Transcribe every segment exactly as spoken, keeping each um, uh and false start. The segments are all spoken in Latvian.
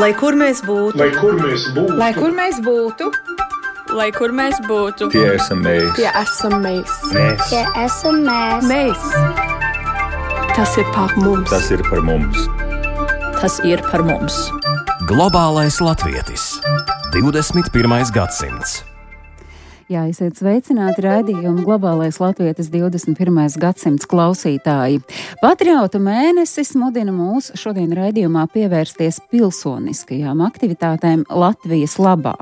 Lai kur mēs būtu, lai kur mēs būtu, lai kur mēs būtu, lai kur mēs būtu, tie esam mēs. tie esam mēs. Mēs. Tie esam mēs. Mēs. Tas ir par mums. Tas ir par mums. tas ir par mums. Globālais latvietis. divdesmit pirmais gadsimts. Jā, esiet sveicināti raidījumu Globālais latvietis divdesmit pirmais gadsimts klausītāji. Patriotu mēnesis mudina mūs šodien raidījumā pievērsties pilsoniskajām aktivitātēm Latvijas labā.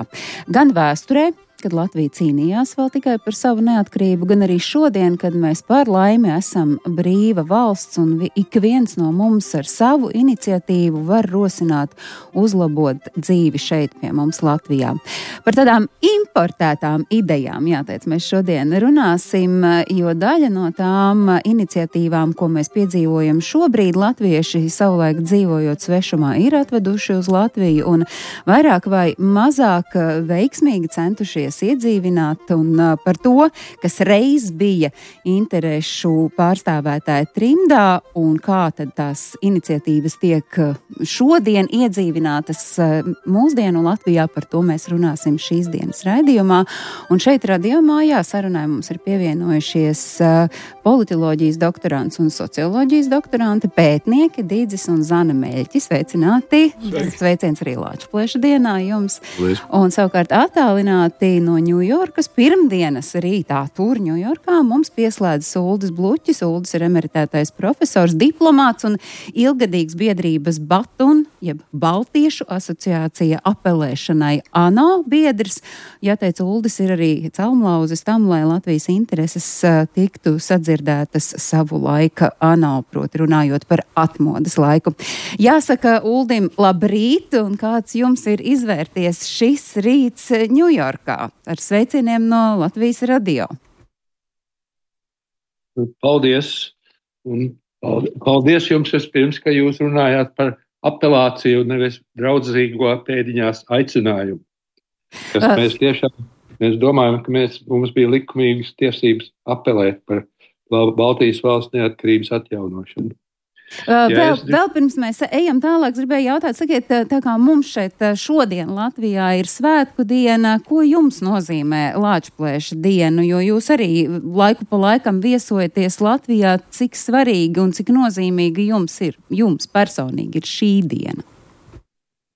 Gan vēsturē, kad Latvija cīnījās vēl tikai par savu neatkarību, gan arī šodien, kad mēs par laimi esam brīva valsts un ik viens no mums ar savu iniciatīvu var rosināt, uzlabot dzīvi šeit pie mums Latvijā. Par tādām importētām idejām, jāteic, mēs šodien runāsim, jo daļa no tām iniciatīvām, ko mēs piedzīvojam šobrīd, latvieši savulaik dzīvojot svešumā ir atveduši uz Latviju un vairāk vai mazāk veiksmīgi centušies iedzīvināt, un par to, kas reiz bija interešu pārstāvētāja trimdā un kā tad tās iniciatīvas tiek šodien iedzīvinātas mūsdienu Latvijā, par to mēs runāsim šīs dienas raidījumā. Un šeit radījumā, jā, sarunai mums ir pievienojušies politoloģijas doktorants un socioloģijas doktoranti, pētnieki Dīdzis un Zana Meļķi. Sveicināti! Sveiciens arī Lāčplēša dienā jums! Lies. Un savukārt attālināti no Ņujorkas pirmdienas rītā tur Ņujorkā mums pieslēdz Uldis Bluķis. Uldis ir emeritētais profesors, diplomāts un ilgadīgs biedrības Batun, jeb Baltiešu asociācija apelēšanai ANO biedrs. Jāteic, Uldis ir arī celmlauzis tam, lai Latvijas intereses tiktu sadzirdētas savu laika ANO, proti runājot par atmodas laiku. Jāsaka Uldim labrīt, un kāds jums ir izvērties šis rīts Ņujorkā? Ar sveicieniem no Latvijas radio. Paldies. Un paldies jums vispirms, ka jūs runājāt par apelāciju, nevis draudzīgo pēdiņās aicinājumu. Kas uh. mēs tiešām, mēs domājam, ka mēs, mums bija likumīgas tiesības apelēt par Baltijas valsts neatkarības atjaunošanu. Uh, vēl, es... vēl pirms mēs ejam tālāk, gribēju jautāt, sakiet, tā kā mums šeit šodien Latvijā ir svētku diena, ko jums nozīmē Lāčplēša dienu, jo jūs arī laiku pa laikam viesojaties Latvijā, cik svarīgi un cik nozīmīgi jums ir, jums personīgi ir šī diena?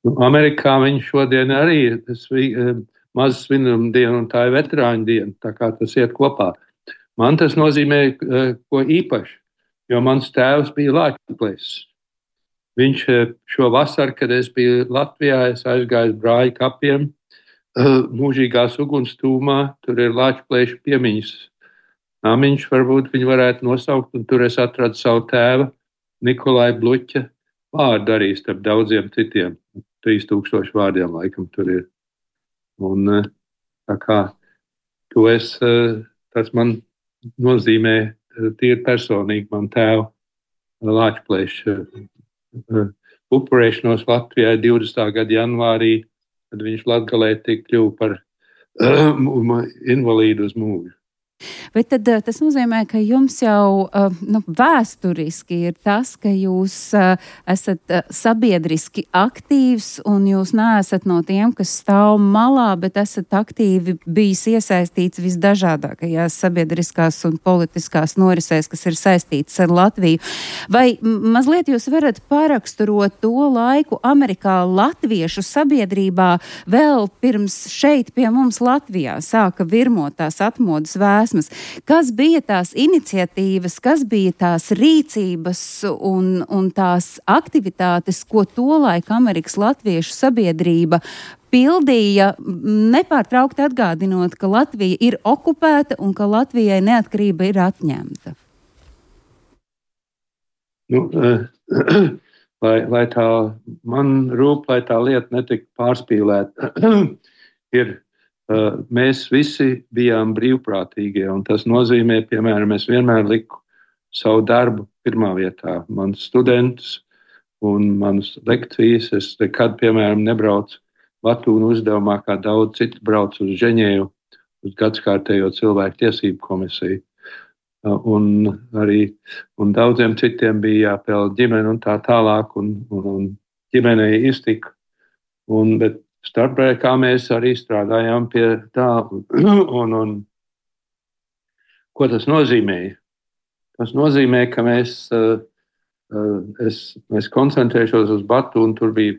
Nu, Amerikā viņi šodien arī ir maza svinuma diena un tā ir veterāņu diena, tā kā tas iet kopā. Man tas nozīmē ko īpaši. Jo mans tēvs bija Lāčplēsis. Viņš šo vasaru, kad es biju Latvijā, es aizgāju brāļu kapiem, mūžīgās uguns tūmā, tur ir Lāčplēša piemiņas namiņš, varbūt viņi varētu nosaukt, un tur es atradu savu tēva, Nikolai Bluķa vārdu arī starp daudziem citiem. trīs tūkstoši vārdiem laikam tur ir. Un tā kā to es, tas man nozīmē tīri personīgi man tēva Lāčplēša upurēšanos Latvijā divdesmitā gada janvārī, kad viņš Latgalē tik kļuva par invalīdu uz mūžu. Bet tad tas nozīmē, ka jums jau nu, vēsturiski ir tas, ka jūs esat sabiedriski aktīvs un jūs neesat no tiem, kas stāv malā, bet esat aktīvi bijis iesaistīts visdažādākajās sabiedriskās un politiskās norisēs, kas ir saistītas ar Latviju. Vai mazliet jūs varat paraksturot to laiku Amerikā latviešu sabiedrībā vēl pirms šeit pie mums Latvijā sāka virmot tās atmodas vēsmas? Kas bija tās iniciatīvas, kas bija tās rīcības un, un tās aktivitātes, ko tolaik Amerikas latviešu sabiedrība pildīja, nepārtraukti atgādinot, ka Latvija ir okupēta un ka Latvijai neatkarība ir atņemta? Nu, lai, lai tā, man rūp, lai tā lieta netika pārspīlēta, ir mēs visi bijām brīvprātīgie, un tas nozīmē, piemēram, es vienmēr liku savu darbu pirmā vietā. Manus studentus un manas lekcijas, es nekad, piemēram, nebraucu Latūnu uzdevumā, kā daudz citu brauc uz Ženēvu, uz gadskārtējo cilvēku tiesību komisiju. Un arī un daudziem citiem bija jāpēl ģimeni un tā tālāk, un, un, un ģimenei iztika. Un, bet starpbrīdī mēs arī strādājām pie tā. Un, un, ko tas nozīmēja? Tas nozīmē, ka mēs, es, mēs koncentrēšos uz Batu, un tur bija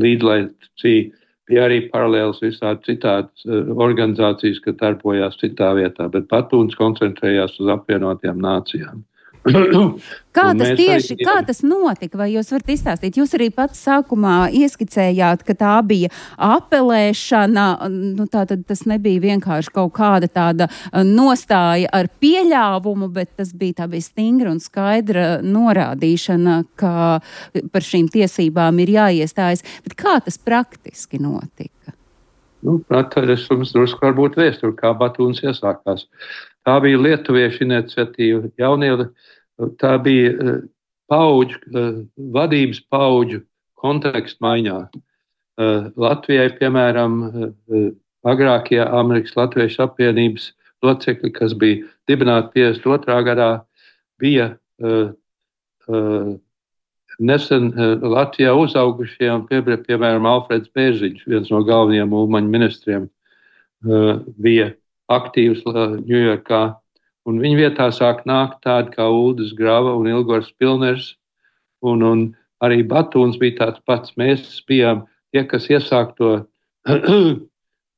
līdzlaicīgi, bija arī paralēls visādi citādas organizācijas, kas darbojās citā vietā, bet Batūns koncentrējās uz apvienotajām nācijām. Kā tas tieši, arī... kā tas notika, vai jūs varat izstāstīt? Jūs arī pats sākumā ieskicējāt, ka tā bija apelēšana, nu tātad tas nebija vienkārši kaut kāda tāda nostāja ar pieļāvumu, bet tas bija tā bija stingra un skaidra norādīšana, ka par šīm tiesībām ir jāiestājas. Bet kā tas praktiski notika? Nu, es jums drusku varbūt vēsturu, kā Batūns iesākās. Tā bija lietuviešu iniciatīva, jaunie, tā bija paudžu, vadības paudžu kontekstu maiņā. Latvijai, piemēram, agrākie Amerikas Latviešu apvienības locekļi, kas bija dibināti piecdesmit otrā gadā, bija nesen Latvijā uzaugušie, un piemēram, Alfreds Bērziņš, viens no galvenajiem ulmaņu ministriem, bija aktīvs Ņujorkā, un viņa vietā sāk nākt tādi kā Uldis Grava un Ilgors Pilners, un, un arī Batūns bija tāds pats. Mēs bijām tie, kas iesāk to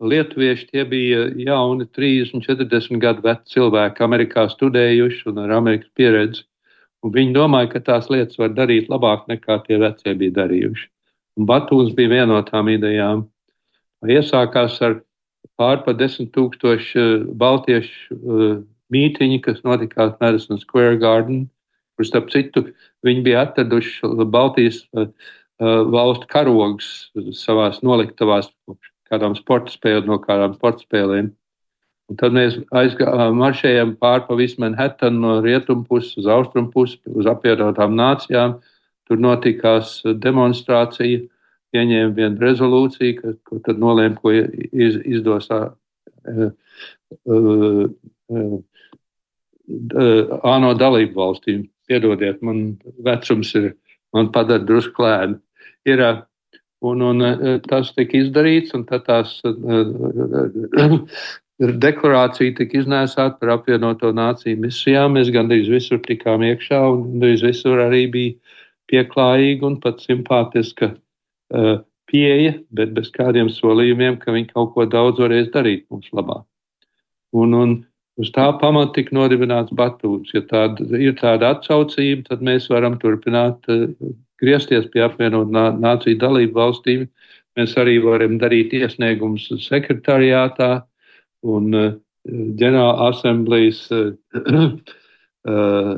lietuvieši, tie bija jauni trīsdesmit, četrdesmit gadu veci cilvēki, Amerikā studējuši un ar Amerikas pieredzi, un viņi domāja, ka tās lietas var darīt labāk nekā tie vecie bija darījuši. Un Batūns bija viena no tām idejām. Iesākās ar pār pa desmit tūkstoši baltiešu uh, mītiņi, kas notikās Madison Square Garden, kur starp citu viņi bija atraduši Baltijas uh, uh, valstu karogus savās noliktavās kādām sporta spēlēm, no kādām sporta spēlēm. Un tad mēs aizgā, maršējām pār pa visu Manhattan no rietumu puses uz austrumu pusi, uz apvienotām nācijām. Tur notikās demonstrācija. Pieņēma vienu rezolūciju, ka, ko tad nolēma, ko iz, izdos uh, uh, uh, ANO dalību valstīm. Piedodiet, man vecums ir, man padara drusku klēni. Ir, uh, un, un uh, tas tika izdarīts, un tad tās uh, deklarācija tika iznēsāta par apvienoto nāciju misijām. Mēs gandrīz visur tikām iekšā, un gandrīz visur arī bija pieklājīgi un pat simpātiska Uh, pieeja, bet bez kādiem solījumiem, ka viņi kaut ko daudz varēs darīt mums labā. Un, un uz tā pamata tika nodibināts Batūns. Ja tāda, ir tāda atsaucība, tad mēs varam turpināt uh, griezties pie apvienot nāciju dalību valstīm. Mēs arī varam darīt iesniegumus sekretariātā un uh, ģenerāla asamblejas uh, uh,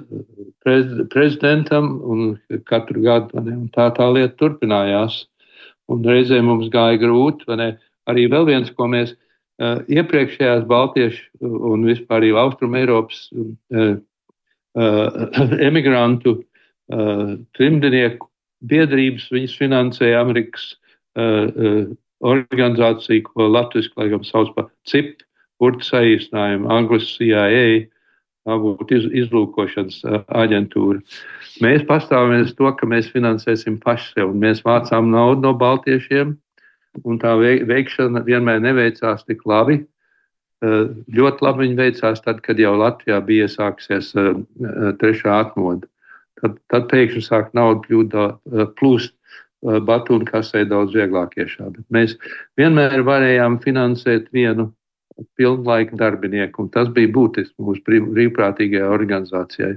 prez, prezidentam, un katru gadu un tā tā lieta turpinājās. Un reizē mums gāja grūti, vai ne? Arī vēl viens, ko mēs uh, iepriekšējās Baltiešu un vispār arī Austrum Eiropas uh, uh, emigrantu uh, trimdinieku biedrības, viņas finansēja Amerikas uh, uh, organizāciju, ko latviski laikam sauc par C I P, burtu saīsinājumu, Anglis C I A, tā būtu iz, izlūkošanas uh, aģentūra. Mēs pastāvamies to, ka mēs finansēsim paši sev, un mēs vācām naudu no baltiešiem, un tā veikšana vienmēr neveicās tik labi. Ļoti labi viņa veicās tad, kad jau Latvijā bija iesāksies trešā atmoda. Tad, tad pēkšņi sāk naudu kļūt plūst Batūna kasē daudz vieglāk iešā. Bet mēs vienmēr varējām finansēt vienu pilnlaika darbinieku, un tas bija būtiski mūsu brīvprātīgajai organizācijai.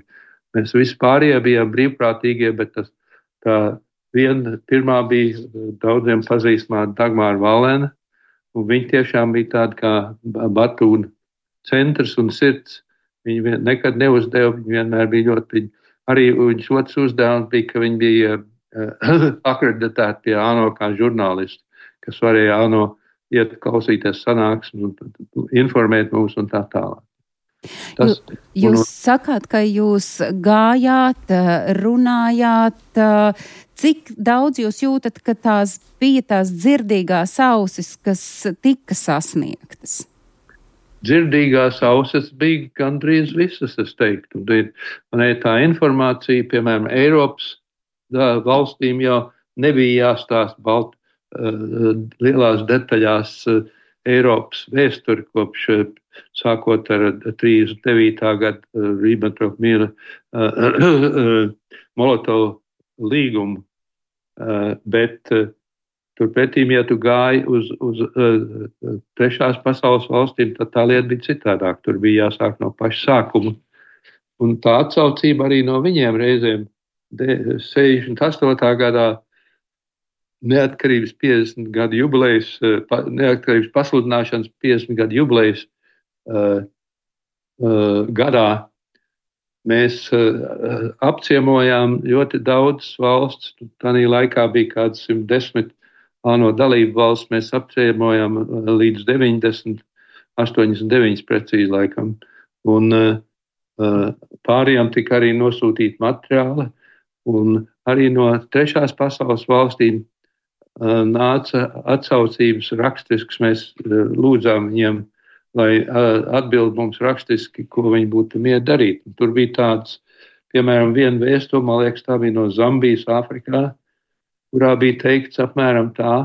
Mēs vispārējie bijām brīvprātīgie, bet tas tā viena pirmā bija daudziem pazīstamā Dagmāra Valēna, un viņa tiešām bija tāda kā Batūna centrs un sirds. Viņa nekad neuzdeva, viņa vienmēr bija ļoti, arī viņas otrs uzdevums bija, ka viņa bija uh, akreditēta pie ANO kā žurnālisti, kas varēja ANO iet klausīties sanāksmes un informēt mūs un tā tālāk. Tas, jūs un, sakāt, ka jūs gājāt, runājāt, cik daudz jūs jūtat, ka tās bija tās dzirdīgās ausis, kas tika sasniegtas? Dzirdīgās ausis bija gandrīz visas, es teiktu. Man tā informācija, piemēram, Eiropas da, valstīm jau nebija jāstāsta Balt, uh, lielās detaļās uh, Eiropas vēsturi kopš uh, sākot ar trīsdesmit devītā gada uh, Ribbentrop-Miera uh, uh, Molotovu līgumu, uh, bet uh, turpretīm, ja tu gāji uz, uz uh, trešās pasaules valstīm, tad tā lieta bija citādāk. Tur bija jāsāk no paša sākuma. Un tā atsaucība arī no viņiem reizēm sešdesmit astotā gadā neatkarības piecdesmit gadu jubilejas, neatkarības pasludināšanas piecdesmit gadu jubilejas uh, uh, gadā mēs uh, apciemojām ļoti daudz valsts. Tanī laikā bija kāds simt desmit ANO dalību valsts. Mēs apciemojām uh, līdz deviņdesmit, astoņdesmit deviņas precīzi laikam. Un uh, uh, pārējām tika arī nosūtīta materiāli. Un arī no trešās pasaules valstīm uh, nāca atsaucības rakstisks. Mēs uh, lūdzām viņiem, lai uh, atbild mums rakstiski, ko viņi būtu mieru darīt. Un tur bija tāds, piemēram, viena vēstule, man liekas, tā bija no Zambijas, Āfrikā, kurā bija teikts apmēram tā,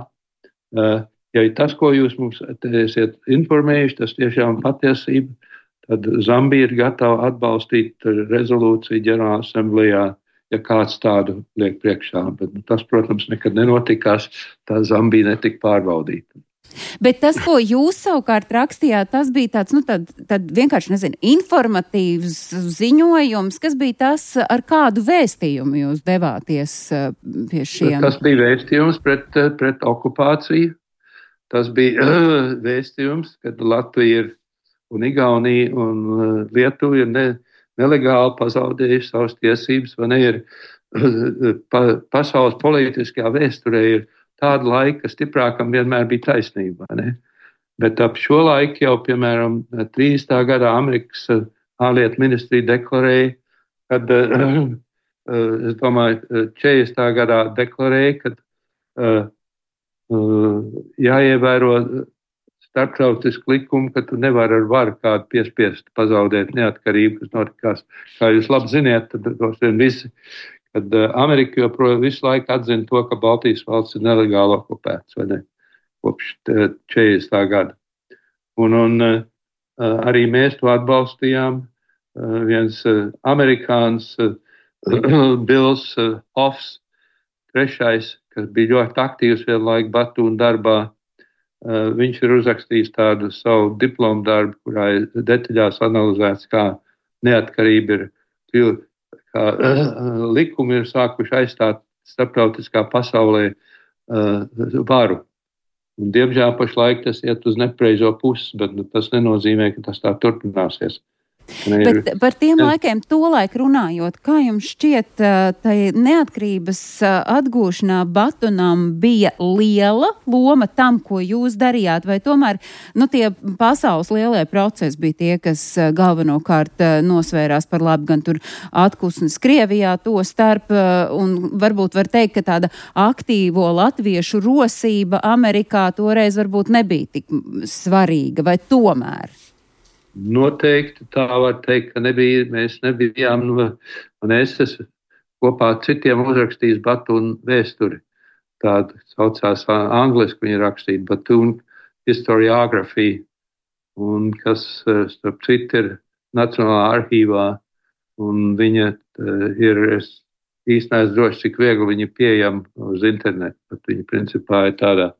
uh, ja tas, ko jūs mums esiet informējuši, tas tiešām patiesība, tad Zambija ir gatava atbalstīt rezolūciju ģenerāla asamblējā, ja kāds tādu liek priekšā. Bet nu, tas, protams, nekad nenotikās, tā Zambija netika pārbaudīta. Bet tas, ko jūs savukārt rakstījāt, tas bija tāds, nu, tad, tad vienkārši, nezinu, informatīvs ziņojums, kas bija tas, ar kādu vēstījumu jūs devāties pie šiem? Tas bija vēstījums pret, pret okupāciju. Tas bija vēstījums, kad Latvija ir un Igaunija un Lietuva ir ne, nelegāli pazaudējuši savas tiesības, vai ne, ir pa, pasaules politiskajā vēsturē ir tāda laika, ka stiprākam vienmēr bija taisnība. Ne? Bet ap šo laiku jau, piemēram, trīsdesmitā gadā Amerikas ārlietu ministrija deklarēja, kad, es domāju, četrdesmitā gadā deklarēja, ka jāievēro starptautisku likumu, ka tu nevari ar varu kādu piespiest pazaudēt neatkarību, kas notikās. Kā jūs labi ziniet, tad tos vien visi, kad Amerika joprojām visu laiku atzina to, ka Baltijas valsts ir nelegāli okupēts, vai ne, kopš četrdesmitā gada. Un, un arī mēs to atbalstījām. Viens amerikāns Bills Hoffs, trešais, kas bija ļoti aktīvs vienlaik Batūna darbā, viņš ir uzrakstījis tādu savu diplomu darbu, kurā ir detaļās analizēts, kā neatkarība ir, kā likumi ir sākuši aizstāt starptautiskā pasaulē varu. Un, diemžēl pašlaik tas iet uz nepareizo pusi, bet nu, tas nenozīmē, ka tas tā turpināsies. Bet par tiem laikiem tolaik runājot, kā jums šķiet, tai neatkarības atgūšanā Batunam bija liela loma tam, ko jūs darījāt, vai tomēr nu, tie pasaules lielie procesi bija tie, kas galvenokārt nosvērās par labi gan tur atkusnes Krievijā to starp, un varbūt var teikt, ka tāda aktīvo latviešu rosība Amerikā toreiz varbūt nebija tik svarīga, vai tomēr? Noteikti tā var teikt, ka nebija, mēs nebijām, un es esmu kopā ar citiem uzrakstījis Batūna vēsturi. Tāda saucās angliski viņa rakstīt, Batūna historiografija, un kas, starp citu, ir Nacionālā arhīvā, un viņa ir, es īsti neesmu droši, cik viegli viņa pieejama uz internetu, bet viņa principā ir tādā,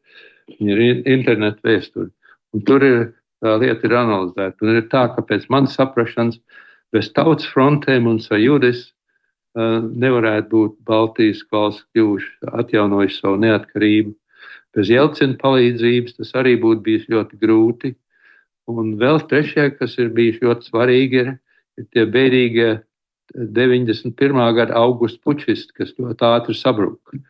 viņa ir internetu vēsturi. Un tur ir tā lieta ir analizēta. Un ir tā, ka pēc manas saprašanas bez tautas frontēm un sajūdes uh, nevarētu būt Baltijas valsts kļuvuši, atjaunojuši savu neatkarību. Bez Jelcina palīdzības tas arī būtu bijis ļoti grūti. Un vēl trešie, kas ir bijis ļoti svarīgi, ir, ir tie bēdīgie deviņdesmit pirmā gada augusta pučisti, kas ļoti ātri sabruka.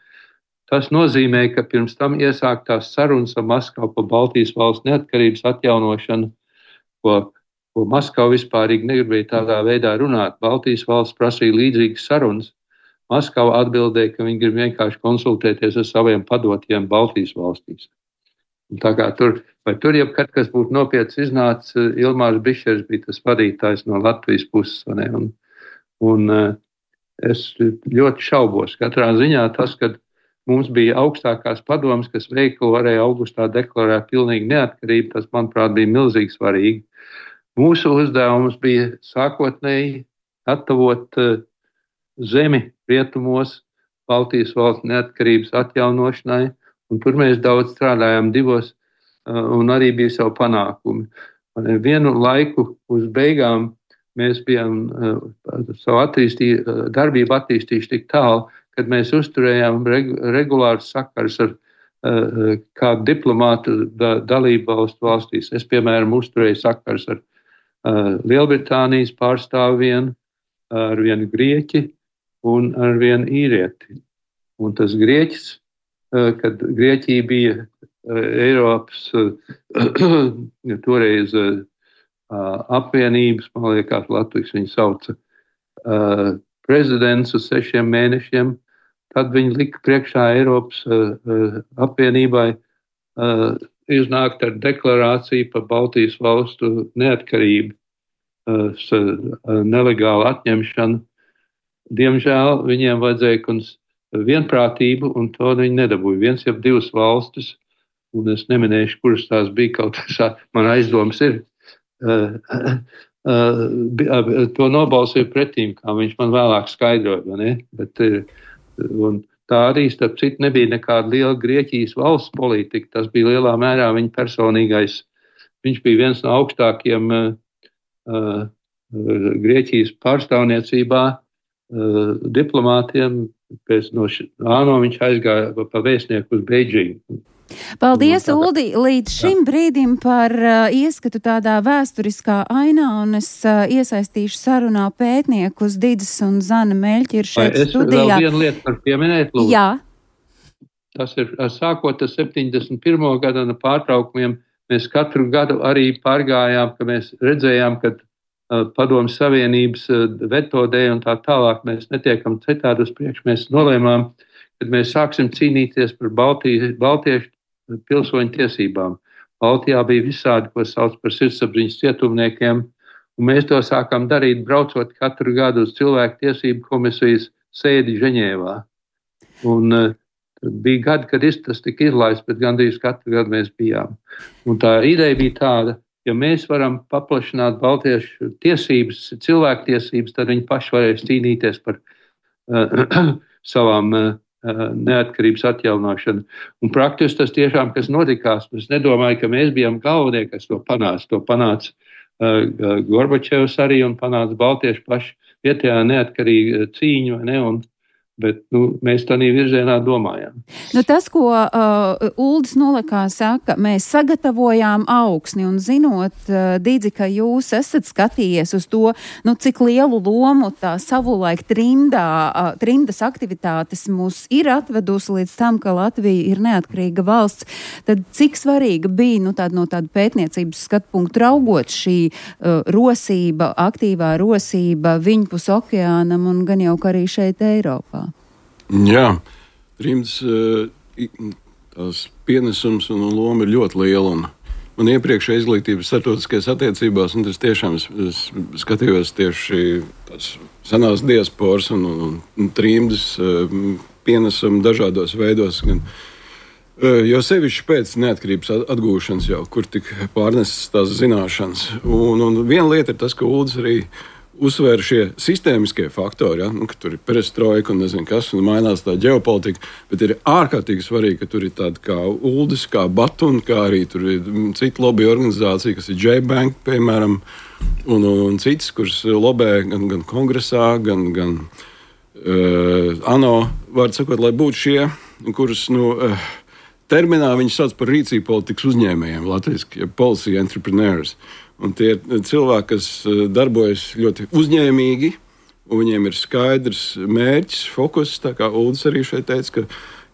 Tas nozīmē, ka pirms tam iesāktās sarunas ar Maskavu par Baltijas valsts neatkarības atjaunošanu, ko, ko Maskava vispārīgi negribēja tādā veidā runāt. Baltijas valsts prasīja līdzīgas sarunas. Maskava atbildēja, ka viņi grib vienkārši konsultēties ar saviem padotiem Baltijas valstīs. Un tā kā tur, vai tur jebkad, kas būtu nopietns iznācis, Ilmārs Bišers bija tas vadītājs no Latvijas puses. Ne? Un, un es ļoti šaubos. Katrā ziņā tas, kad mums bija augstākās padomas, kas veikli varēja augustā deklarēt pilnīgi neatkarību. Tas, manuprāt, bija milzīgi svarīgi. Mūsu uzdevums bija sākotnēji attavot uh, zemi rietumos Baltijas valsts neatkarības atjaunošanai, un tur mēs daudz strādājām divos, uh, un arī bija savu panākumi. Un vienu laiku uz beigām mēs bijām uh, savu attīstī, uh, darbību attīstījuši tik tālu, kad mēs uzturējām reg, regulārus sakars ar uh, kādu diplomātu da, dalību valstu valstīs. Es, piemēram, uzturēju sakars ar uh, Lielbritānijas pārstāvu vienu, ar vienu grieķi un ar vienu īrieti. Un tas grieķis, uh, kad Grieķija bija uh, Eiropas uh, toreiz uh, apvienības, man liekas, Latvijas viņu sauca, uh, prezidents uz sešiem mēnešiem, tad viņi lika priekšā Eiropas uh, apvienībai uh, iznākt ar deklarāciju par Baltijas valstu neatkarību, uh, uh, nelegālu atņemšanu. Diemžēl viņiem vajadzēja vienprātību, un to viņi nedabūja. Viens jau divas valstis, un es neminēšu, kuras tās bija, kaut kā man aizdoms ir, uh, uh, to nobalsoja pretīm, kā viņš man vēlāk skaidroja, ne? Bet, un tā arī, starp citu, nebija nekāda liela Grieķijas valsts politika, tas bija lielā mērā viņa personīgais, viņš bija viens no augstākiem uh, uh, Grieķijas pārstāvniecībā uh, diplomātiem, pēc no ANO viņš aizgāja pa vēstnieku uz Beidžingu. Paldies, Uldi, līdz šim brīdim par uh, ieskatu tādā vēsturiskā ainā, un es uh, iesaistīšu sarunā pētniekus Didis un Zana Meļķi ir šeit es studijā. Es vēl vienu lietu par pieminēt, lūdzu. Jā. Tas ir sākot ar septiņdesmit pirmo gadu pārtraukumiem. Mēs katru gadu arī pārgājām, ka mēs redzējām, ka uh, Padomju Savienības uh, veto dēļ un tā tālāk mēs netiekam citādi uz priekšu. Mēs nolēmām, kad mēs sāksim cīnīties par Baltiju, baltiešu pilsoņu tiesībām. Baltijā bija visādi, ko sauc par sirdsapziņas cietumniekiem, un mēs to sākām darīt, braucot katru gadu uz cilvēku tiesību komisijas sēdi Ženēvā. Un uh, bija gadi, kad tas tika izlaists, bet gandrīz katru gadu mēs bijām. Un tā ideja bija tāda, ja mēs varam paplašināt baltiešu tiesības, cilvēku tiesības, tad viņi paši varēs cīnīties par uh, savām uh, neatkarības atjaunošanu. Un praktiski tas tiešām, kas notikās, es nedomāju, ka mēs bijām galvenie, kas to panāca. To panāca uh, Gorbačevs arī un panāca baltieši paši vietējā neatkarīga cīņa, ne, un bet nu, mēs tādā virzienā domājām. Nu, tas, ko uh, Uldis Nolekā saka, mēs sagatavojām augsni, un zinot, uh, Didzi, ka jūs esat skatījies uz to, nu, cik lielu lomu tā savulaik trimdā, uh, trimdas aktivitātes mūs ir atvedusi līdz tam, ka Latvija ir neatkarīga valsts, tad cik svarīga bija nu, tāda, no tāda pētniecības skatpunktu raugot šī uh, rosība, aktīvā rosība viņpus okeānam un gan jau arī šeit Eiropā? Jā, trimdas tās pienesums un loma ir ļoti liela. Un man iepriekšējā izglītības starptautiskajās attiecībās, un tas tiešām es, es skatījos tieši tās senās diasporas un, un, un trimdas pienesumu dažādos veidos. Gan, jo sevišķi pēc neatkarības atgūšanas jau, kur tik pārnesas tās zināšanas. Un, un viena lieta ir tas, ka Uldis arī uzsver šie sistēmiskie faktori, ja? Nu, ka tur ir perestroika un nezinu kas, un mainās tā ģeopolitika, bet ir ārkārtīgi svarīgi, ka tur ir tāda kā Uldis, kā Batun, kā arī tur ir cita lobby organizācija, kas ir J-Bank, piemēram, un, un, un citas, kuras lobē gan, gan kongresā, gan, gan uh, ANO, vārdu sakot, lai būtu šie, kuras, nu, uh, terminā viņi sauc par rīcību politikas uzņēmējiem, latviski, ja policy entrepreneurs. Un tie ir cilvēki, kas darbojas ļoti uzņēmīgi, un viņiem ir skaidrs mērķis, fokus. Tā kā Uldis arī šeit teica, ka,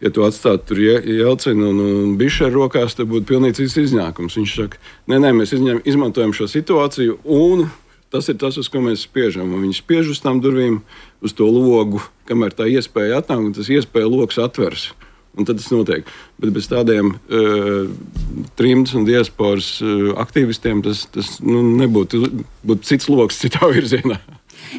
ja tu atstātu tur Jelcinu un, un Bišeru rokās, tad būtu pilnīgi cits iznākums. Viņš saka, nē, nē, mēs izņem, izmantojam šo situāciju, un tas ir tas, uz ko mēs spiežam. Un viņi spiež uz tām durvīm, uz to logu, kamēr tā iespēja atnāk, un tas iespēja loks atvers. Un tad tas notiek. Bet bez tādiem uh, trimdas un diasporas uh, aktīvistiem tas, tas nu, nebūtu būtu cits loks citā virzienā.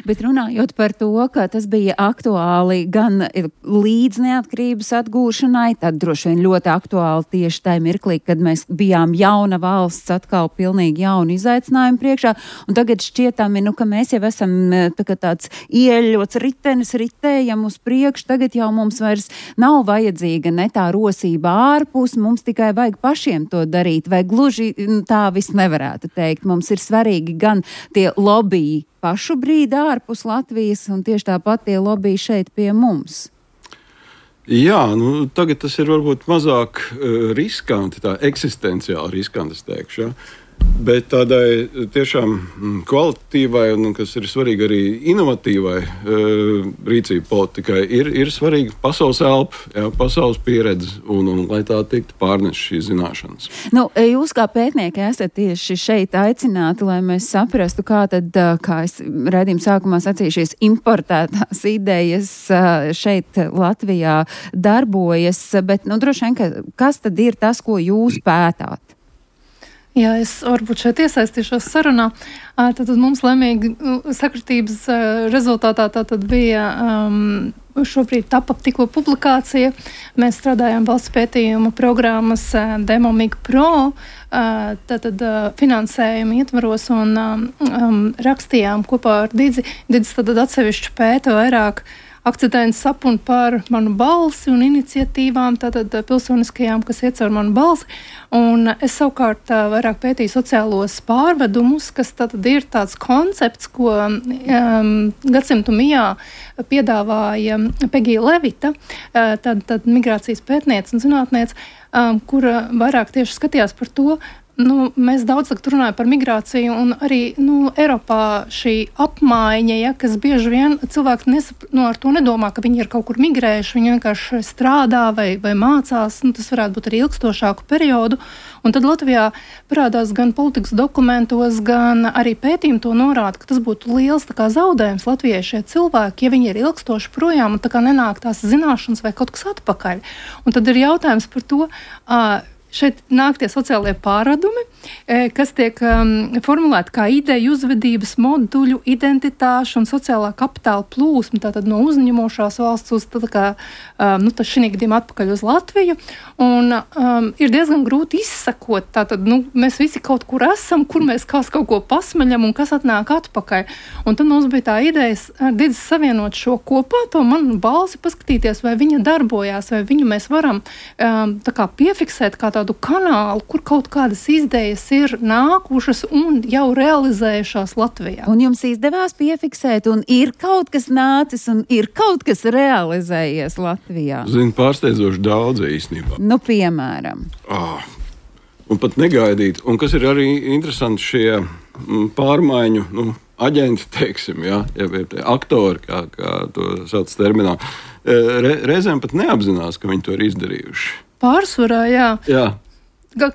Bet runājot par to, ka tas bija aktuāli gan līdz neatkarības atgūšanai, tad droši vien ļoti aktuāli tieši tajā mirklī, kad mēs bijām jauna valsts, atkal pilnīgi jaunu izaicinājumu priekšā, un tagad šķietami, nu, ka mēs jau esam tā, tāds ieļots ritenis, ritējam uz priekšu, tagad jau mums vairs nav vajadzīga ne tā rosība ārpus, mums tikai vajag pašiem to darīt, vai gluži tā viss nevarētu teikt. Mums ir svarīgi gan tie lobby pašu brīdi ārpus Latvijas un tieši tāpat tie lobby šeit pie mums. Jā, nu, tagad tas ir varbūt mazāk uh, riskanti, tā eksistenciāli riskanti, es teikšu, ja? Bet tādai tiešām kvalitatīvai un, kas ir svarīgi arī inovatīvai uh, rīcību politikai, ir, ir svarīga pasaules elpa, jā, pasaules pieredze un, un lai tā tiktu pārnest šīs zināšanas. Nu, jūs kā pētnieki esat tieši šeit aicināti, lai mēs saprastu, kā tad, kā es raidījuma sākumā sacīju, šīs importētās idejas šeit Latvijā darbojas, bet, nu, droši vien, ka, kas tad ir tas, ko jūs pētāt? Jā, es varbūt šeit iesaistīšos sarunā. Tātad mums laimīgi sakritības rezultātā tātad bija um, šobrīd tapa tikko publikācija. Mēs strādājām valsts pētījuma programmas Demomig Pro, tātad finansējuma ietvaros un um, rakstījām kopā ar Didzi. Didzi tātad atsevišķi pēta vairāk akcentējums sapun par manu balsi un iniciatīvām, tātad pilsoniskajām, kas iet caur manu balsi. Un es savukārt vairāk pētīju sociālos pārvedumus, kas tātad ir tāds koncepts, ko um, gadsimtu mijā piedāvāja Pegija Levita, tad, tad migrācijas pētniece un zinātniece, um, kura vairāk tieši skatījās par to. Nu, mēs daudz runājam par migrāciju, un arī nu, Eiropā šī apmaiņa, ja, kas bieži vien cilvēki nesap, nu, ar to nedomā, ka viņi ir kaut kur migrējuši, viņi vienkārši strādā vai, vai mācās, nu, tas varētu būt arī ilgstošāku periodu. Un tad Latvijā parādās gan politikas dokumentos, gan arī pētījumi to norāda, ka tas būtu liels tā kā zaudējums Latvijai šie cilvēki, ja viņi ir ilgstoši projām un tā kā nenāk tās zināšanas vai kaut kas atpakaļ. Un tad ir jautājums par to, uh, šeit nāk tie sociālie pārādumi, kas tiek um, formulēti kā ideju, uzvedības, moduļu, identitāšu un sociālā kapitāla plūsma, tātad no uzņemošās valsts uz tā kā, um, nu, tā šī gadījumā atpakaļ uz Latviju. Un um, ir diezgan grūti izsakot, tātad, nu, mēs visi kaut kur esam, kur mēs kāds kaut ko pasmeļam un kas atnāk atpakaļ. Un tad mums bija tā ideja ar Didzi savienot šo kopā, to manu balsi paskatīties, vai viņa darbojās, vai viņu mēs varam um, tā kā piefiksēt kā tādu kanālu, kur kaut kādas idejas ir nākušas un jau realizējušās Latvijā. Un jums izdevās piefiksēt, un ir kaut kas nācis, un ir kaut kas realizējies Latvijā? Zinu, pārsteidzoši daudz īstenībā. Nu, piemēram. Ah, un pat negaidīt. Un kas ir arī interesanti, šie pārmaiņu, nu, aģenti, teiksim, jā, ja, aktori, kā, kā to sauc terminā, re, reizēm pat neapzinās, ka viņi to ir izdarījuši. Pārsvarā, jā. Jā.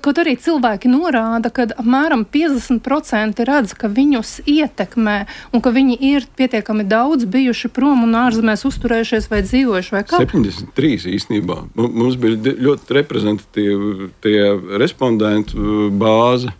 Kaut arī cilvēki norāda, ka apmēram piecdesmit procenti redz, ka viņus ietekmē un ka viņi ir pietiekami daudz bijuši prom un ārzemēs uzturējušies vai dzīvojuši vai kā? septiņdesmit trīs īstenībā. Mums bija ļoti reprezentatīvi tie respondentu bāze.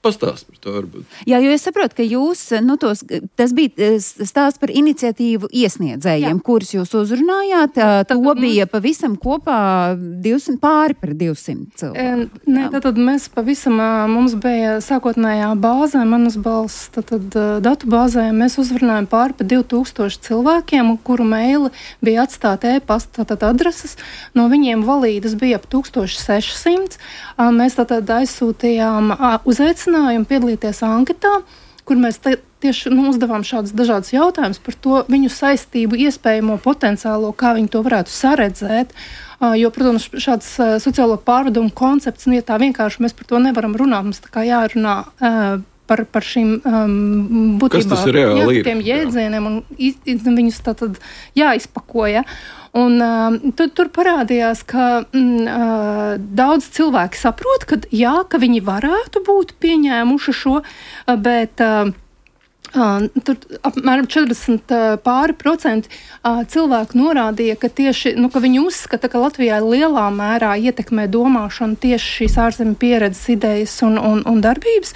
Pastāst par to varbūt. Jā, jo es saprotu, ka jūs, nu, tos, tas bija stāsts par iniciatīvu iesniedzējiem, Jā. kurus jūs uzrunājāt. To tad, bija pavisam kopā divsimt, pāri par divsimt cilvēku. Nē, tad mēs pavisam, mums bija sākotnējā bāzē, manas balss, tad, tad datu bāzē, mēs uzrunājam pāri par divi tūkstoši cilvēkiem, kuru meili bija atstāti e-pasta, tātad adreses. No viņiem valīdas bija ap tūkstoš seši simti. Mēs tātad aizsūtījām uzaicinājumu piedalīties anketā, kur mēs te, tieši nu, uzdevām šādus dažādus jautājumus par to viņu saistību, iespējamo potenciālo, kā viņi to varētu saredzēt. Uh, jo, protams, šāds uh, sociālo pārvedumu koncepts, nu, ja tā vienkārši mēs par to nevaram runāt, mums tā kā jārunā uh, par, par šīm um, būtībā, kas tas reāli jā, ir? Tiem jēdzieniem un iz, viņus tātad jāizpakoja. Un uh, tur, tur parādījās, ka mm, uh, daudz cilvēki saprot, ka jā, ka viņi varētu būt pieņēmuši šo, uh, bet uh, uh, tur apmēram četrdesmit uh, pāri procenti uh, cilvēku norādīja, ka tieši, nu, ka viņi uzskata, ka Latvijā lielā mērā ietekmē domāšanu tieši šīs ārzemju pieredzes idejas un, un, un darbības.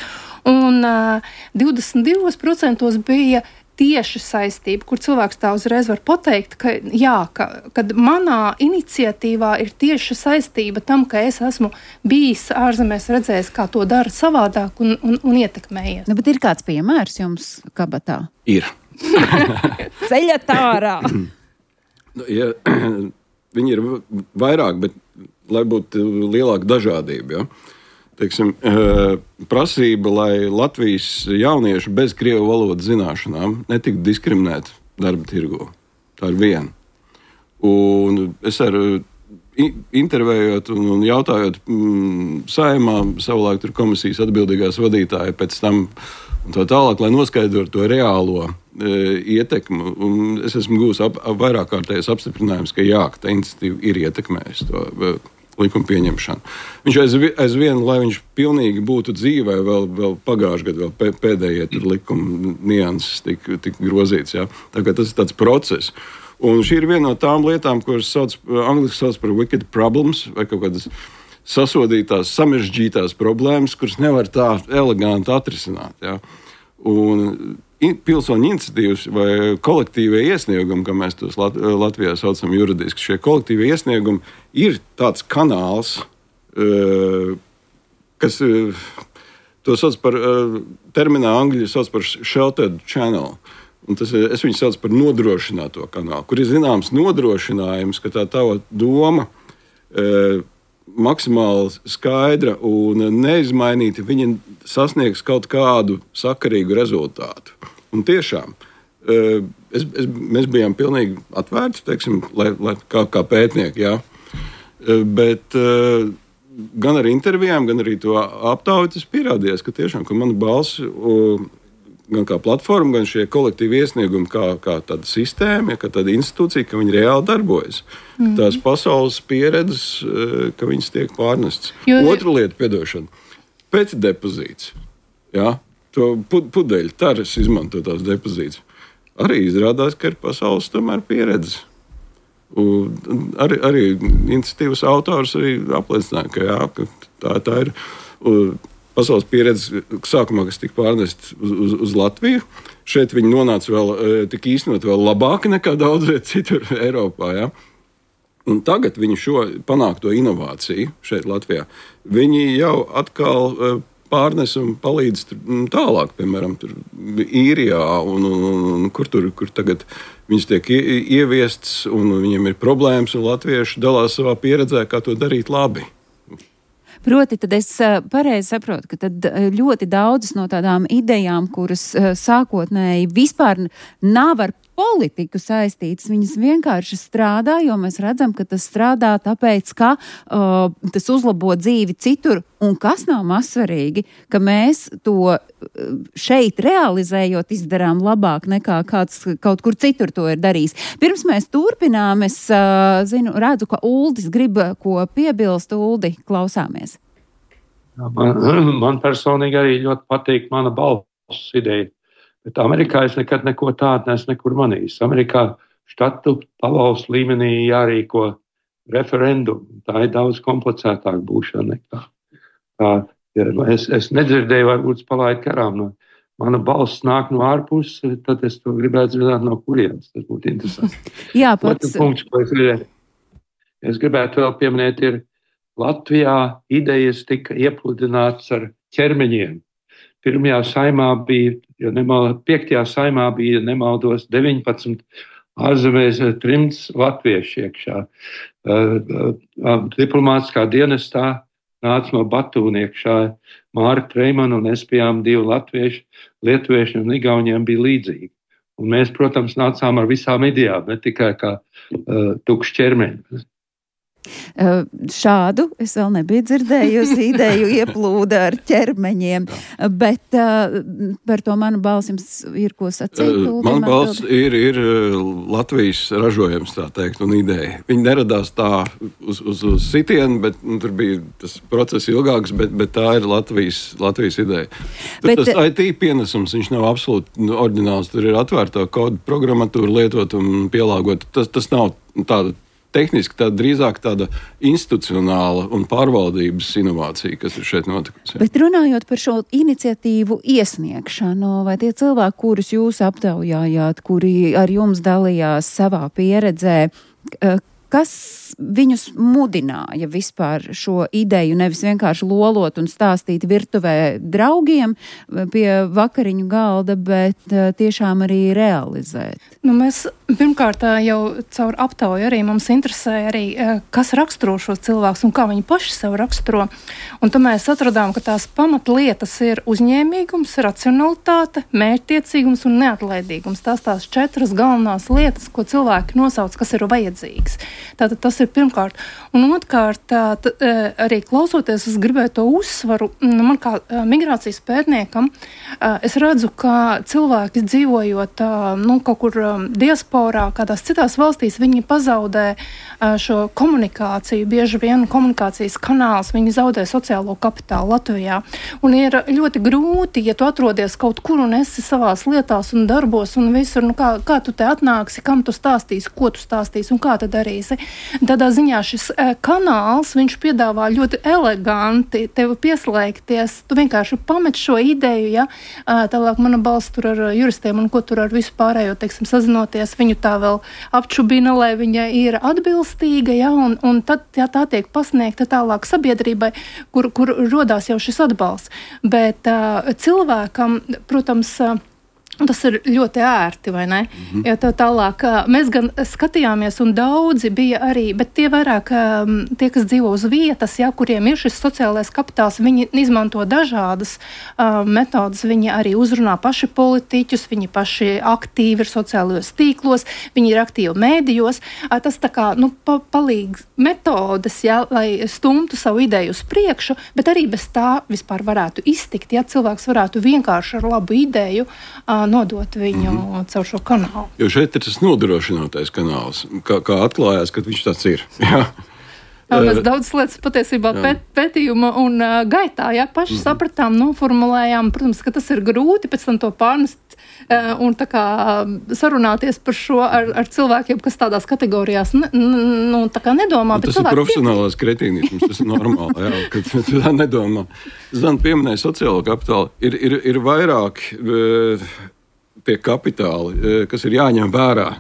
Un uh, divdesmit divi procenti bija tieši saistība, kur cilvēks tā uzreiz var pateikt, ka jā, ka, kad manā iniciatīvā ir tieši saistība tam, ka es esmu bijis ārzemēs, redzējis, kā to dara savādāk un, un, un ietekmējies. Nu, bet ir kāds piemērs jums kabatā? Ir. Ceļat ārā! Ja, viņi ir vairāk, bet lai būtu lielāka dažādība, ja? Teiksim, prasība, lai Latvijas jaunieši bez krievu valodas zināšanām netiktu diskriminēti darba tirgu. Tā ir viena. Un es ar intervējot un jautājot mm, Saeimā, savulaik tur komisijas atbildīgās vadītāja pēc tam un tā tālāk, lai noskaidrotu to reālo e, ietekmu. Un es esmu gūs ap, ap vairāk kārtējais apstiprinājums, ka jā, ka tā iniciatīva ir ietekmējusi to e, likuma pieņemšanu. Viņš aizvien, aizvien, lai viņš pilnīgi būtu dzīvē, vēl, vēl pagājušajā gadā, vēl pēdējie likuma nianses tika tik grozīts. Jā. Tā kā tas ir tāds process. Un šī ir viena no tām lietām, kuras sauc, angliski sauc par wicked problems, vai kaut kādas sasodītās, samežģītās problēmas, kuras nevar tā eleganti atrisināt. Jā. Un pilsoņu iniciatīvas vai kolektīvie iesniegumi, kā mēs tos Lat- Latvijā saucam juridiski, šie kolektīvie iesniegumi ir tāds kanāls, kas to sauc par, terminā angļu sauc par sheltered channel. Un tas, es viņu saucu par nodrošināto kanālu, kur ir zināms nodrošinājums, ka tā tava doma e, maksimāli skaidra un neizmainīta, viņa sasniegs kaut kādu sakarīgu rezultātu. Un tiešām, e, es, es, mēs bijām pilnīgi atvērti, teiksim, lai, lai, kā, kā pētnieki, jā. E, bet e, gan ar intervijām, gan arī to aptauju tas pierādījās, ka tiešām, ka mana balss o, gan kā platforma, gan šie kolektīvi iesniegumi, kā, kā tāda sistēma, kā tāda institūcija, ka viņi reāli darbojas. Mm. Tās pasaules pieredzes, ka viņas tiek pārnestas. Jo... Otra lieta, piedošana, pēc depozīts. Jā, to pudeļu taras izmanto tās depozīts. Arī izrādās, ka ir pasaules tomēr pieredzes. Un arī, arī iniciatīvas autors arī apliecināja, ka, jā, ka tā, tā ir... Un, pasaules pieredze sākumā, kas tika pārnest uz, uz, uz Latviju. Šeit viņi nonāca vēl, tika īstenot vēl labāk nekā daudz viet citur Eiropā. Ja? Un tagad viņi šo panākto inovāciju šeit Latvijā, viņi jau atkal pārnes un palīdz tālāk, piemēram, tur Īrijā un, un, un, un kur tur, kur tagad viņas tiek ieviests un viņiem ir problēmas un latvieši dalās savā pieredzē, kā to darīt labi. Proti, tad es pareizi saprotu, ka tad ļoti daudzas no tādām idejām, kuras sākotnēji vispār nav ar politiku saistītas, viņas vienkārši strādā, jo mēs redzam, ka tas strādā tāpēc, ka uh, tas uzlabo dzīvi citur, un kas nav mazsvarīgi, ka mēs to šeit realizējot izdarām labāk nekā kāds kaut kur citur to ir darījis. Pirms mēs turpinām, es uh, zinu, redzu, ka Uldis grib ko piebilst. Uldi, klausāmies. Man, man personīgi arī ļoti patīk mana balss ideja. Bet Amerikā es nekad neko tādu neesmu nekur manījis. Amerikā štatu pavalstu līmenī jārīko referendumu. Tā ir daudz komplicētāk būšana nekā. Tā, ja es, es nedzirdēju, varbūt palaidu karām. No, mana balss nāk no ārpuses, tad es to gribētu zināt no kurienes. Tas būtu interesanti. Jā, pats. Punkts, ko es gribētu. Es gribētu vēl pieminēt, ir Latvijā idejas tika iepludināts ar ķermeņiem. Pirmajā saimā bija, ja nemal, piektajā saimā bija, nemaldos, deviņpadsmit ārzemēs trimds latvieši iekšā. Uh, uh, diplomātiskā dienestā nāca no Batūna iekšā Mārka Treimana un es bijām divi latvieši, lietuvieši un igauniem bija līdzīgi. Un mēs, protams, nācām ar visām idejām, ne tikai kā uh, tukšs ķermeņi. Uh, šādu es vēl nebiju dzirdējusi ideju ieplūda ar ķermeņiem, bet uh, par to manu balsi jums ir ko sacīt? Uh, Mana balss ir, ir Latvijas ražojums, tā teikt, un ideja. Viņi neradās tā uz, uz, uz sitienu, bet nu, tur bija tas process ilgāks, bet, bet tā ir Latvijas, Latvijas ideja. Tur bet, tas I T pienesums, viņš nav absolūti oriģināls, tur ir atvērtā kodu programmatūra lietot un pielāgot. Tas, tas nav tāda tehniski tā drīzāk tāda institucionāla un pārvaldības inovācija, kas ir šeit notikusi. Bet runājot par šo iniciatīvu iesniegšanu, vai tie cilvēki, kurus jūs aptaujājāt, kuri ar jums dalījās savā pieredzē, kas viņus mudināja vispār šo ideju nevis vienkārši lolot un stāstīt virtuvē draugiem pie vakariņu galda, bet tiešām arī realizēt? Nu, mēs pirmkārt jau caur aptauju arī mums interesē arī, kas raksturo šos cilvēkus un kā viņi paši sev raksturo. Un tad mēs atradām, ka tās pamatlietas ir uzņēmīgums, racionalitāte, mērķtiecīgums un neatlaidīgums. Tās tās četras galvenās lietas, ko cilvēki nosauc, kas ir vajadzīgs. Tātad tas ir pirmkārt. Un otrkārt, tā, tā, arī klausoties, es gribēju to uzsvaru. Man kā migrācijas pētniekam, es redzu, ka cilvēki dzīvojot nu, kaut kur diasporā, kādās citās valstīs, viņi pazaudē šo komunikāciju, bieži vien komunikācijas kanāls, viņi zaudē sociālo kapitālu Latvijā. Un ir ļoti grūti, ja tu atrodies kaut kur un esi savās lietās un darbos un visur, nu kā, kā tu te atnāksi, kam tu stāstīsi, ko tu stāstīsi un kā tu darīsi. Tādā ziņā šis kanāls, viņš piedāvā ļoti eleganti tevi pieslēgties. Tu vienkārši pamet šo ideju, ja, tālāk mana balss tur ar juristiem un ko tur ar visu pārējo, teiksim, sazinoties, viņu tā vēl apčubina, lai viņa ir atbilstīga, ja, un, un tad ja, tā tiek pasniegta tālāk sabiedrībai, kur, kur rodās jau šis atbalsts. Bet uh, cilvēkam, protams, uh, tas ir ļoti ērti, vai ne? Mm-hmm. Ja tā tālāk, mēs gan skatījāmies un daudzi bija arī, bet tie vairāk, tie, kas dzīvo uz vietas, ja, kuriem ir šis sociālais kapitāls, viņi izmanto dažādas uh, metodas, viņi arī uzrunā paši politiķus, viņi paši aktīvi ir sociālajos tīklos, viņi ir aktīvi mēdījos. Uh, tas tā kā, nu, pa, palīg metodas, ja, lai stumtu savu ideju uz priekšu, bet arī bez tā vispār varētu iztikt, ja cilvēks varētu vienkārši ar labu ideju uh, nodot viņu mm-hmm. caur šo kanālu. Jo šeit ir tas nodrošinātais kanāls, kā, kā atklājās, ka viņš tāds ir. Jā. Jā, mēs daudz lietas patiesībā pēt, pētījuma un uh, gaitā, jā, paši mm-hmm. sapratām, noformulējām, protams, ka tas ir grūti pēc tam to pārnest uh, un tā kā sarunāties par šo ar, ar cilvēkiem, kas tādās kategorijās ne, nu, tā kā nedomā. Tas ir profesionālās kretīnisms, tas ir normāli, jā, kad tu tā nedomā. Zan pieminēja sociālo kapitālu, ir, ir, ir vairāk uh, tie kapitāli, kas ir jāņem vērā,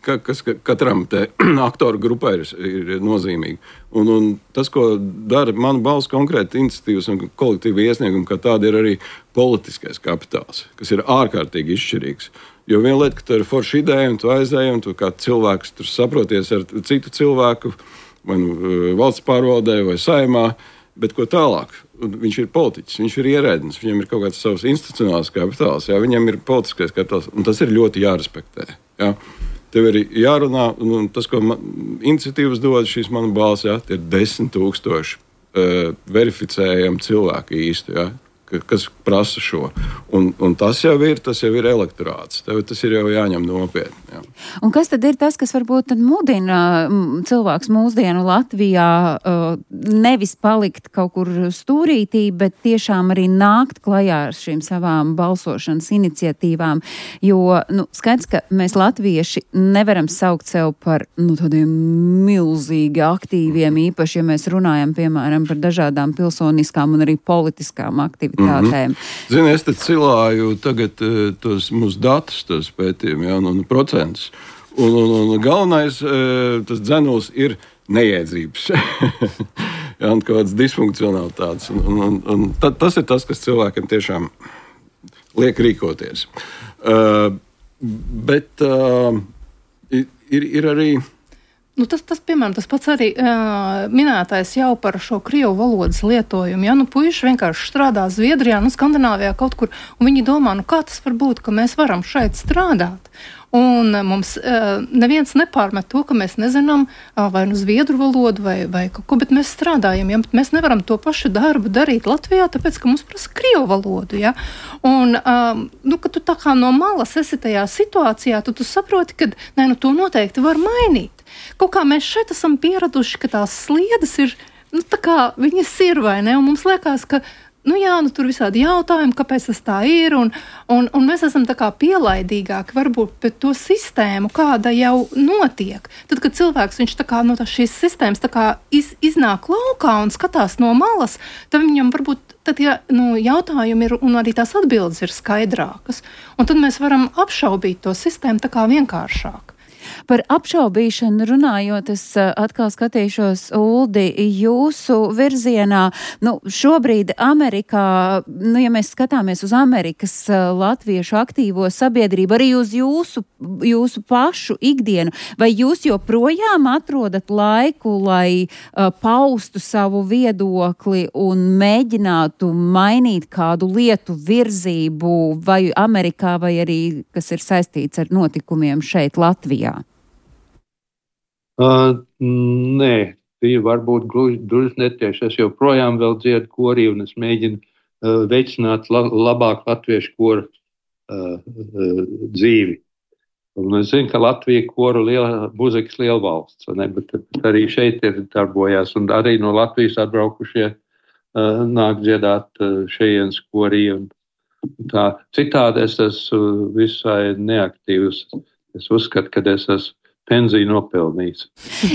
ka, kas katram te aktoru grupā ir, ir nozīmīgi. Un, un tas, ko dara mana balss konkrēti iniciatīvas un kolektīva iesnieguma, kā tāda ir arī politiskais kapitāls, kas ir ārkārtīgi izšķirīgs. Jo viena lieta, ka tu ir forša ideja un tu aizēji un tu kā cilvēks tur saproties ar citu cilvēku, vai nu valsts pārvaldē vai saimā, bet ko tālāk? Viņš ir politiķis, viņš ir ierēdnis, viņam ir kaut kāds savs institucionāls kapitāls, jā, viņam ir politiskais kapitāls, un tas ir ļoti jārespektē. Jā. Tev ir jārunā, un tas, ko man, iniciatīvas dod, šīs mana balss, jā, tie ir desmit tūkstoši uh, verificējami cilvēki īsti, jā, kas prasa šo. Un, un tas jau ir, tas jau ir elektorāts. Tev tas ir jau jāņem nopietni. Jā. Un kas tad ir tas, kas varbūt tad mudina cilvēks mūsdienu Latvijā uh, nevis palikt kaut kur stūrītī, bet tiešām arī nākt klajā ar šīm savām balsošanas iniciatīvām? Jo, nu, skaidrs, ka mēs latvieši nevaram saukt sev par, nu, tādiem milzīgi aktīviem, īpaši, ja mēs runājam, piemēram, par dažādām pilsoniskām un arī politiskām aktivitātēm. Mm-hmm. Zini, es te cilāju tagad uh, tos mūsu datus, tos pētījumu, ja, un, un procentus. Un, un, un galvenais, uh, tas dzenuls ir nejēdzības. ja, un kaut kāds disfunkcionalitātes. Un, un, un, un tad, tas ir tas, kas cilvēkiem tiešām liek rīkoties. Uh, bet uh, ir, ir arī... Nu, tas, tas, piemēram, tas pats arī uh, minētais jau par šo krievu valodas lietojumu. Ja? Nu, puiši vienkārši strādā Zviedrijā, nu, Skandināvijā kaut kur, un viņi domā, nu, kā tas var būt, ka mēs varam šeit strādāt. Un uh, mums uh, neviens nepārmet to, ka mēs nezinām uh, vai nu zviedru valodu vai, vai kaut ko, bet mēs strādājam, ja? Bet mēs nevaram to pašu darbu darīt Latvijā, tāpēc, ka mums prasa krievu valodu. Ja? Un, uh, nu, kad tu tā kā no malas esi tajā situācijā, tu, tu saproti, ka ne, nu, to noteikti var mainīt. Kaut kā mēs šeit esam pieraduši, ka tās sliedes ir, nu, tā kā viņas ir, vai ne? Un mums liekas, ka nu jā, nu tur visādi jautājumi, kāpēc tas tā ir, un, un, un mēs esam tā kā pielaidīgāki varbūt pret to sistēmu, kāda jau notiek. Tad, kad cilvēks, viņš tā kā no tā šīs sistēmas tā kā iz, iznāk laukā un skatās no malas, tad viņam varbūt tad, ja nu, jautājumi ir un arī tās atbildes ir skaidrākas, un tad mēs varam apšaubīt to sistēmu tā kā vienkāršāk. Par apšaubīšanu runājot, es atkal skatīšos, Uldi, jūsu virzienā. Nu, šobrīd Amerikā, nu, ja mēs skatāmies uz Amerikas latviešu aktīvo sabiedrību, arī uz jūsu, jūsu pašu ikdienu, vai jūs joprojām atrodat laiku, lai uh, paustu savu viedokli un mēģinātu mainīt kādu lietu virzību vai Amerikā, vai arī, kas ir saistīts ar notikumiem šeit Latvijā? Uh, nē, bija varbūt gluži netieši. Es joprojām vēl dziedu korī un es mēģinu uh, veicināt la, labāk latviešu koru uh, uh, dzīvi. Un es zinu, ka Latvija koru liela, muzikas lielvalsts, ne? Bet, bet arī šeit ir darbojās un arī no Latvijas atbraukušie uh, nāk dziedāt uh, šejienes korī. Un tā. Citādi es esmu visai neaktīvs. Es uzskatu, ka es esmu pensiju nopelnījis.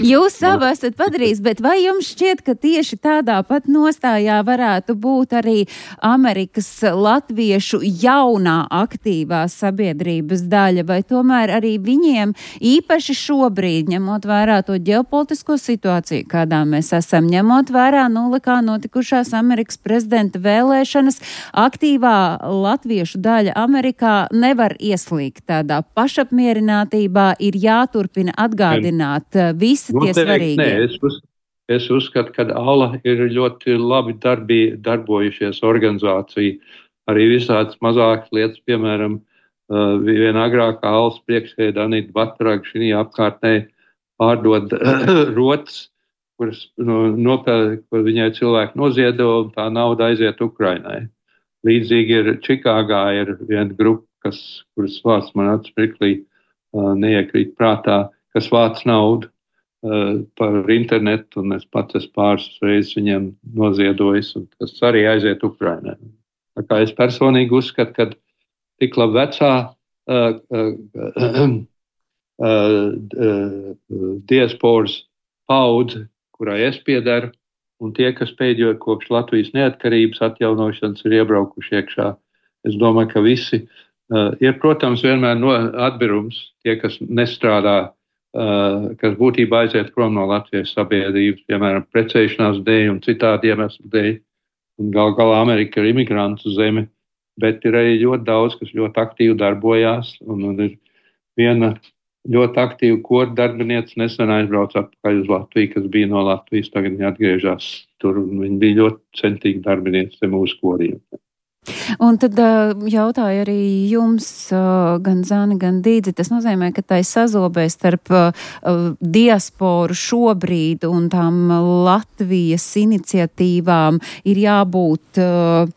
Jūs savu esat padarījis, bet vai jums šķiet, ka tieši tādā pat nostājā varētu būt arī Amerikas latviešu jaunā aktīvā sabiedrības daļa, vai tomēr arī viņiem īpaši šobrīd, ņemot vērā to ģeopolitisko situāciju, kādā mēs esam, ņemot vērā nulikā notikušās Amerikas prezidenta vēlēšanas, aktīvā latviešu daļa Amerikā nevar ieslīgt tādā pašapmierinātībā, ir jāturpina atgādināt visi tie Noteikti, svarīgie. Nē, es, uz, es uzskatu, ka ALA ir ļoti labi darbi, darbojušies organizācija. Arī visādas mazākas lietas, piemēram, uh, viena agrākā ALAS priekšsēdē Anita Batraga šī apkārtnē pārdod rotas, kuras no, nopēl, kur viņai cilvēki noziedo, un tā nauda aiziet Ukrainai. Līdzīgi ir Čikāgā ir viena grupa, kas, kuras vārds man atsmirklī uh, neiekrīt prātā, kas vāc naudu uh, par internetu, un es pats es pāris reizes viņiem noziedojis, un tas arī aiziet Ukrainai. Tā kā es personīgi uzskatu, ka tik labi vecā uh, uh, uh, uh, diasporas paudze, kurai es piedaru, un tie, kas pēdējo kopš Latvijas neatkarības atjaunošanas ir iebraukuši iekšā, es domāju, ka visi uh, ir, protams, vienmēr no atbirums, tie, kas nestrādā, Uh, kas būtībā aiziet prom no Latvijas sabiedrības, piemēram, precēšanās dēļ un citādi iemeslu dēļ. Un gal galā Amerika ir imigrantu zeme, bet ir arī ļoti daudz, kas ļoti aktīvi darbojās. Un, un ir viena ļoti aktīva koru darbiniece nesen aizbrauca atpakaļ uz Latviju, kas bija no Latvijas, tagad viņa atgriežas tur. Viņa bija ļoti centīga darbiniece mūsu koriem. Un tad uh, jautāju arī jums, uh, gan Zani, gan Dīdzi, tas nozīmē, ka tai sazobē starp uh, diasporu šobrīd un tām Latvijas iniciatīvām ir jābūt uh,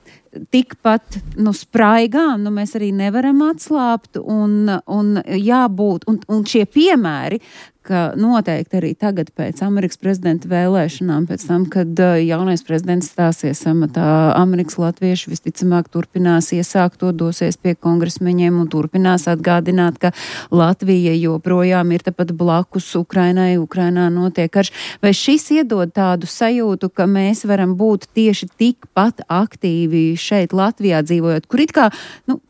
tikpat, nu, spraigām, nu, mēs arī nevaram atslāpt un, un jābūt, un, un šie piemēri, ka noteikti arī tagad pēc Amerikas prezidenta vēlēšanām, pēc tam, kad uh, jaunais prezidents stāsies amatā, Amerikas latvieši visticamāk turpinās iesākt to, dosies pie kongresmeņiem un turpinās atgādināt, ka Latvija joprojām ir tepat blakus Ukrainai, Ukrainā notiek karš. Vai šis iedod tādu sajūtu, ka mēs varam būt tieši tikpat aktīvi šeit Latvijā dzīvojot, kur it kā, nu,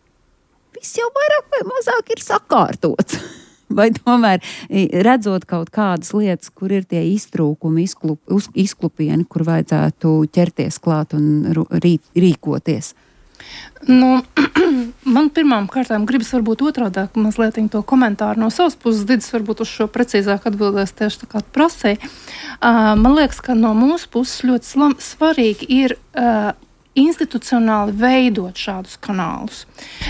viss jau vairāk vai mazāk ir sakārtots? Vai tomēr redzot kaut kādas lietas, kur ir tie iztrūkumi, izklup, izklupieni, kur vajadzētu ķerties klāt un rī, rīkoties? Nu, man pirmām kārtām gribas varbūt otrādāk mazliet to komentāru no savas puses. Didis varbūt uz šo precīzāk atbildēs tieši tā kā prasēja. Uh, man liekas, ka no mūsu puses ļoti slam, svarīgi ir uh, institucionāli veidot šādus kanālus.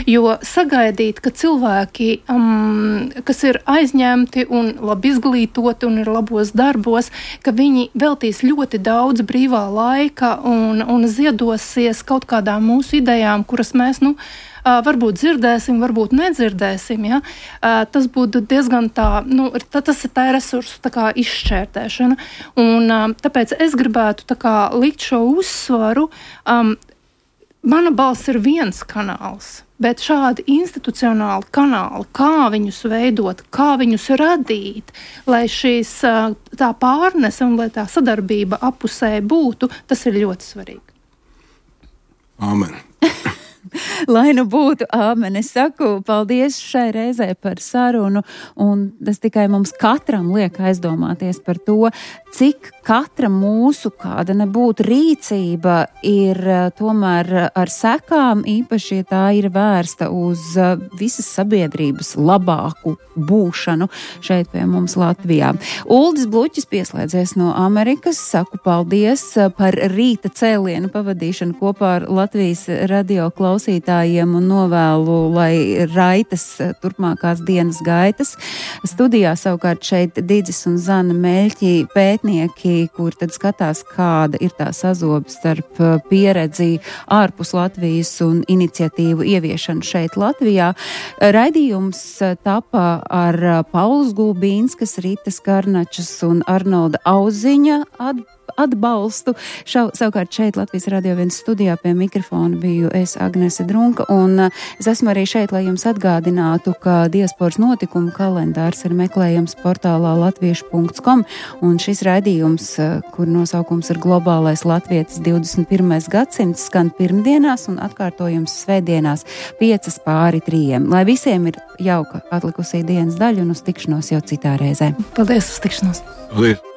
Jo sagaidīt, ka cilvēki, um, kas ir aizņemti un labi izglītoti un ir labos darbos, ka viņi veltīs ļoti daudz brīvā laika un, un ziedosies kaut kādām mūsu idejām, kuras mēs, nu, Uh, varbūt dzirdēsim, varbūt nedzirdēsim, ja? uh, tas būtu diezgan tā, nu, tā, tas ir tā resursu tā kā izšķērtēšana. Un uh, tāpēc es gribētu tā kā likt šo uzsvaru um, mana balss ir viens kanāls, bet šādi institucionāli kanāli, kā viņus veidot, kā viņus radīt, lai šīs tā pārnese un lai tā sadarbība apusē būtu, tas ir ļoti svarīgi. Āmen. Lai nu būtu āmen, es saku paldies šai reizē par sarunu, un tas tikai mums katram liek aizdomāties par to, cik katra mūsu kāda nebūtu rīcība ir tomēr ar sekām, īpaši, ja tā ir vērsta uz visas sabiedrības labāku būšanu šeit pie mums Latvijā. Uldis Bluķis pieslēdzies no Amerikas, saku paldies par rīta cēlienu pavadīšanu kopā ar Latvijas radio klausītājiem un novēlu, lai raitas turpmākās dienas gaitas. Studijā savukārt šeit Didzis un Zana Meļķi pētnieki, kur tad skatās, kāda ir tā sazobe starp pieredzi ārpus Latvijas un iniciatīvu ieviešanu šeit Latvijā. Raidījums tapa ar Pauls Gulbīnskas, Ritas Karnačas un Arnolda Auziņa atbalstu. atbalstu. Šau, savukārt šeit Latvijas Radio viens studijā pie mikrofona biju es, Agnese Drunka, un es esmu arī šeit, lai jums atgādinātu, ka diasporas notikumu kalendārs ir meklējams portālā latviešu punkts com, un šis raidījums, kur nosaukums ir Globālais latvietis divdesmit pirmais gadsimts, skan pirmdienās un atkārtojums svētdienās piecas pāri trījiem. Lai visiem ir jauka atlikusī dienas daļa un uz tikšanos jau citā reizē. Paldies, uz tikšanos! Paldies!